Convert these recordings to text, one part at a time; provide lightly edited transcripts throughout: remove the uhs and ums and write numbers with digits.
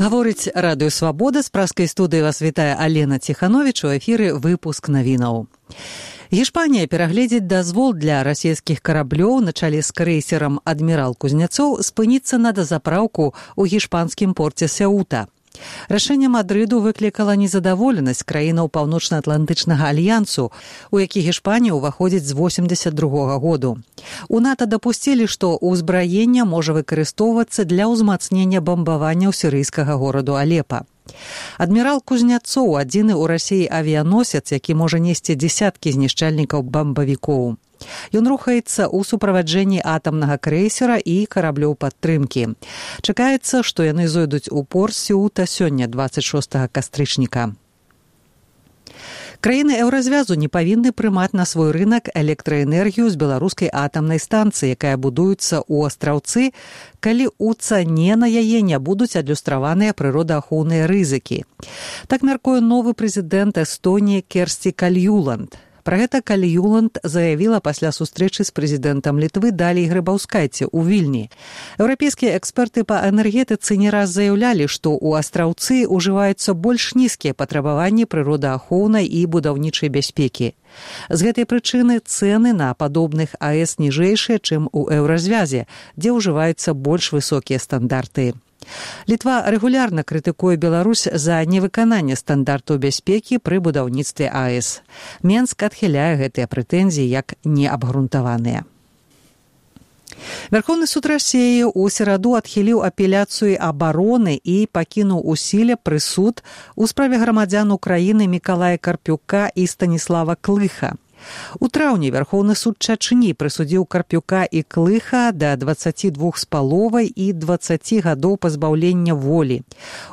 Гаворыць Радыё Свабода, з праскай студыі вас вітае Алена Ціхановіч, у эфіры выпуск навінаў. Гішпанія перагледзіць дазвол для расійскіх караблёў на чале з крэйсерам «Адмірал Кузнецоў» спыніцца на дазапраўку ў гішпанскім порце Сеута. Рашэнне Мадрыду выклікала незадаволенасць краінаў Паўночна-Атлантычнага альянсу, у які Гішпанія ўваходзіць з 1982 году. У НАТО дапусцілі, што ўзбраенне можа выкарыстоўвацца для ўзмацнення бамбаванняў сірыйскага гораду Алепа. «Адмірал Кузнецоў» – адзіны ў Расіі авіяносец, які можа несці дзесяткі знішчальнікаў бамбавікоў. Ён рухаецца ў суправаджэнні атамнага крэйсера і караблёў падтрымкі. Чакаецца, што яны зойдуць у порт Сеута сёння, 26 кастрычніка. Краіны еўразвязу не павінны прымаць на свой рынак электраэнергію з беларускай атамнай станцыі, якая будуецца ў Астраўцы, калі ў цане на яе не будуць адлюстраваныя прыродаахоўныя рызыкі. Так мяркуе новы прэзідэнт Эстоніі Керсці Кальюланд. Пра гэта Кальюланд заявіла пасля сустрэчы з прэзідэнтам Літвы Далій Грыбаўскайце ў Вільні. Еўрапейскія эксперты па энергетыцы не раз заяўлялі, што ў Астраўцы ўжываюцца больш нізкія патрабаванні прыродаахоўнай і будаўнічай бяспекі. З гэтай прычыны цэны на падобных АЭС ніжэйшыя, чым у еўразвязе, дзе ўжываюцца больш высокія стандарты. Літва рэгулярна крытыкуе Беларусь за невыкананне стандартаў бяспекі пры будаўніцтве АЭС. Менск адхіляе гэтыя прэтэнзіі як неабгрунтаваныя. Верховны суд Расіі ў сераду адхіліў апеляцыю абароны і пакінуў у сіле прысуд у справе грамадзян Украіны Мікалая Карпюка і Станіслава Клыха. У траўні Верховны суд Чачні прысудзіў Карпюка і Клыха да 22,5 і 20 гадоў пазбаўлення волі.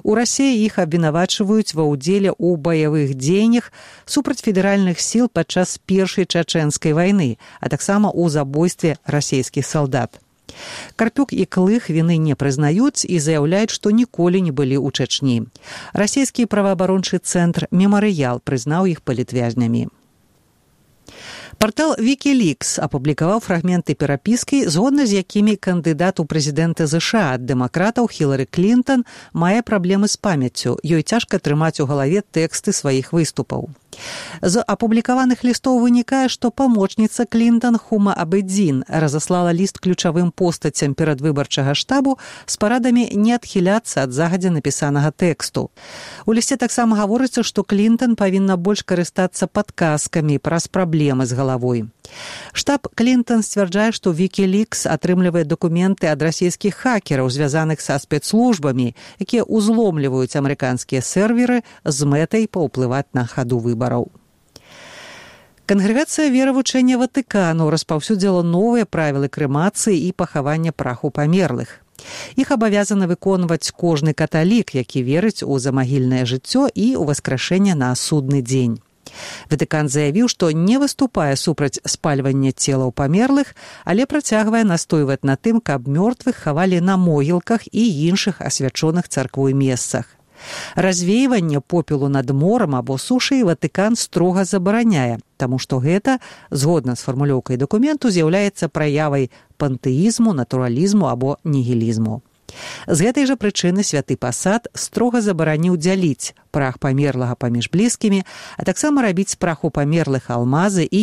У Расіі іх абвінавачваюць ва ўдзеле ў баявых дзеяннях супраць федэральных сіл падчас першай чачэнскай вайны, а таксама ў забойстве расійскіх салдат. Карпюк і Клых віны не прызнаюць і заяўляюць, што ніколі не былі ў Чачні. Расійскі праваабарончы цэнтр «Мемарыял» прызнаў іх палітвязнямі. Партал Wikileaks апублікаваў фрагменты перапіскі, згодна з якімі кандыдат у прэзідэнты ЗША ад дэмакратаў Хілары Клінтон мае праблемы з памяццю, ёй цяжка трымаць у галаве тэксты сваіх выступаў. З апублікаваных лістоў вынікае, што памочніца Клінтон Хума Абедзін разаслала ліст ключавым постацям перадвыбарчага штабу з парадамі не адхіляцца ад загадзя напісанага тэксту. У лісце таксама гаворыцца, што Клінтон павінна больш карыстацца падказкамі праз праблемы з галавой. Штаб Клінтон сцвярджае, што Wikileaks атрымлівае дакументы ад расійскіх хакераў, звязаных са спецслужбамі, якія ўзломліваюць амерыканскія серверы з мэтай паўплываць на хаду выбараў. Кангрэгацыя веравучэння Ватыкану распаўсюдзіла новыя правілы крэмацыі і пахавання праху памерлых. Іх абавязаны выконваць кожны каталік, які верыць у замагільнае жыццё і ў васкрашэнне на судны дзень. Ватыкан заявіў, што не выступае супраць спальвання целаў памерлых, але працягвае настойваць на тым, каб мёртвых хавалі на могілках і іншых асвячоных царквой месцах. Развеиванне попелу над морам або сушай Ватыкан строга забараняе, таму што гэта, згодна з фармулёўкай дакументу, з'яўляецца праявай пантэізму, натуралізму або нігілізму. З гэтай жа прычыны святы пасад строга забараніў дзяліць прах памерлага паміж блізкімі, а таксама рабіць з праху памерлых алмазы і